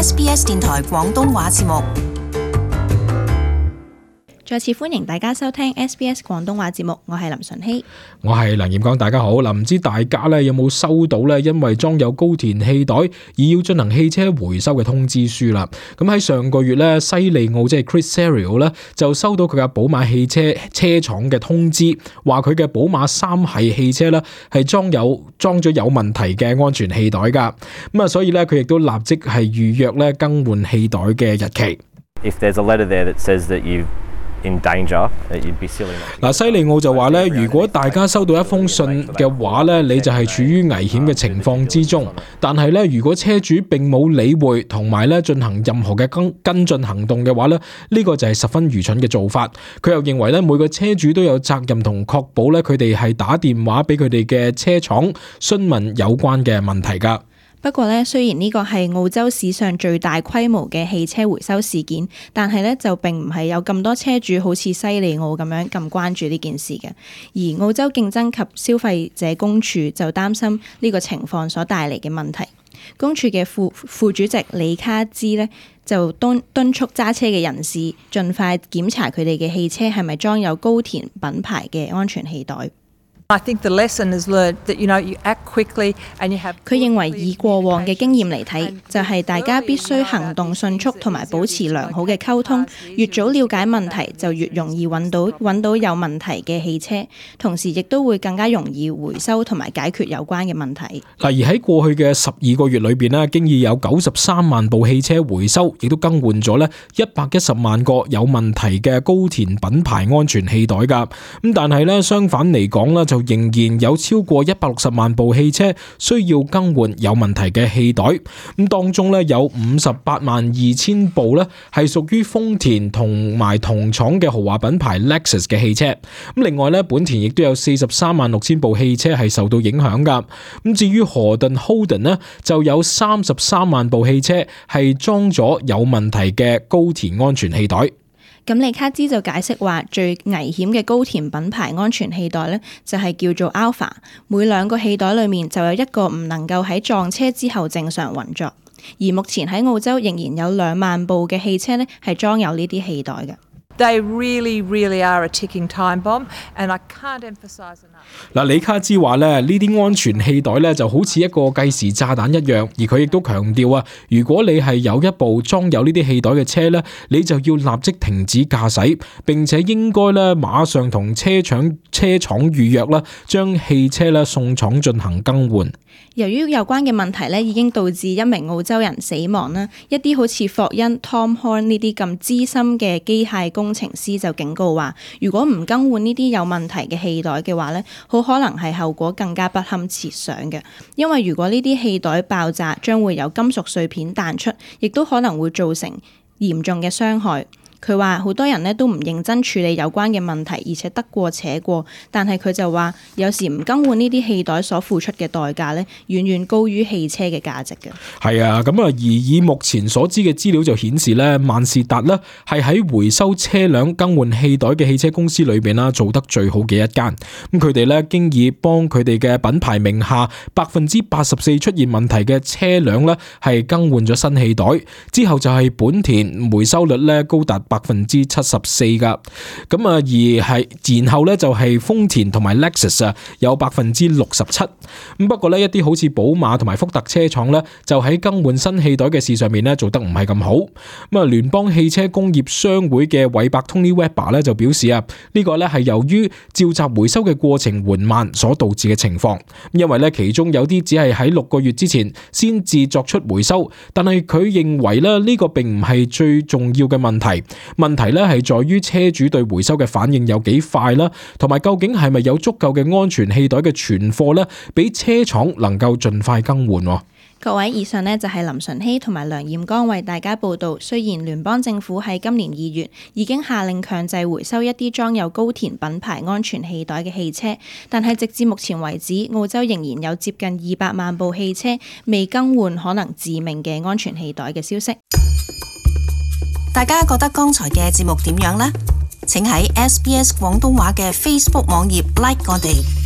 SBS 電台廣東話節目。再次歡迎大家收聽 SBS 廣東話節目，我係林純希，我係梁艷剛，大家好。唔知大家咧有冇收到咧，因為裝有高田氣袋而要進行汽車回收嘅通知書啦。咁喺上個月咧，西利奧即係 Chris Serio 咧就收到佢嘅寶馬汽車車廠嘅通知，話佢嘅寶馬3系汽車咧係裝咗有問題嘅安全氣袋噶。咁啊，所以咧佢亦都立即係預約咧更換氣袋嘅日期。If there's a letter there that says that you've in danger, you'd be silly not to. 西利奧就話咧，如果大家收到一封信嘅話咧，你就係處於危險嘅情況之中。但係咧，如果車主並冇理會同埋咧進行任何嘅跟進行動嘅話咧，呢個就係十分愚蠢嘅做法。佢又認為咧，每個車主都有責任同確保咧，佢哋係打電話俾佢哋嘅車廠詢問有關嘅問題㗎。不過咧，雖然呢個係澳洲史上最大規模嘅汽車回收事件，但係咧就並唔係有咁多車主好似西利奧咁樣咁關注呢件事嘅。而澳洲競爭及消費者公署就擔心呢個情況所帶嚟嘅問題。公署嘅副主席李卡茲呢，就敦促揸車嘅人士盡快檢查佢哋嘅汽車係咪裝有高田品牌嘅安全氣袋。I think the lesson is learned that you act quickly and you have. 佢認為以過往嘅經驗嚟睇，就係大家必須行動迅速同埋保持良好嘅溝通，越早了解問題就越容易揾到有問題嘅汽車，同時亦都會更加容易回收同埋解決有關嘅問題。而喺過去嘅12個月裏邊咧，經已有93萬部汽車回收，亦都更換咗咧110萬個有問題嘅高田品牌安全氣袋噶。咁但係咧相反嚟講咧，就仍然有超過160萬部汽車需要更換有問題嘅氣袋，咁當中咧有582000部咧係屬於豐田同埋同廠嘅豪華品牌 Lexus 嘅汽車，咁另外咧本田亦都有436000部汽車係受到影響噶，咁至於河頓 Holden 呢，就有33萬部汽車係裝咗有問題嘅高田安全氣袋。咁李卡茲就解釋話，最危險嘅高田品牌安全氣袋呢，就係叫做 Alpha， 每2個氣袋裏面就有一個唔能夠喺撞車之後正常運作，而目前喺澳洲仍然有2萬部嘅汽車呢係裝有呢啲氣袋嘅。They really, really are a ticking time bomb, and I can't emphasize enough. 李卡茲話咧，呢啲安全氣袋咧就好似一個計時炸彈一樣，而佢亦都強調啊，如果你係有一部裝有呢啲氣袋嘅車咧，你就要立即停止駕駛，並且應該咧馬上同車廠預約啦，將汽車咧送廠進行更換。由於有關嘅問題咧，已經導致1名澳洲人死亡啦。一啲好似霍恩 Tom Horn 呢啲咁資深嘅機械工程師就警告話，如果唔更換呢啲有問題嘅氣袋嘅話咧，好可能係後果更加不堪設想嘅。因為如果呢啲氣袋爆炸，將會有金屬碎片彈出，亦都可能會造成嚴重嘅傷害。佢話好多人都唔認真處理有關嘅問題，而且得過且過。但係佢就話，有時唔更換呢啲氣袋所付出嘅代價遠遠高於汽車嘅價值嘅。係啊，咁而以目前所知嘅資料就顯示咧，萬事達咧係喺回收車輛更換氣袋嘅汽車公司裏邊啦，做得最好嘅一間。咁佢哋咧經已幫佢哋嘅品牌名下84%出現問題嘅車輛咧係更換咗新氣袋，之後就係本田回收率咧高達74%噶，咁而係然後咧就係豐田同埋 Lexus 啊有67%。咁不過咧一啲好似寶馬同埋福特車廠咧就喺更換新氣袋嘅事上面咧做得唔係咁好。咁啊聯邦汽車工業商會嘅韋伯 Tony Webber 咧就表示啊，呢個咧係由於召集回收嘅過程緩慢所導致嘅情況。因為咧其中有啲只係喺6個月之前先至作出回收，但係佢認為咧呢個並唔係最重要嘅問題。問題咧係在於車主對回收嘅反應有幾快啦，同埋究竟係咪有足夠嘅安全氣袋嘅存貨咧，俾車廠能夠盡快更換。各位，以上就係林純希同埋梁艷剛為大家報道。雖然聯邦政府喺今年2月已經下令強制回收一啲裝有高田品牌安全氣袋嘅汽車，但係直至目前為止，澳洲仍然有接近200萬部汽車未更換可能致命嘅安全氣袋嘅消息。大家覺得剛才嘅節目點樣呢？請喺 SBS 廣東話嘅 Facebook 網頁 like 我哋。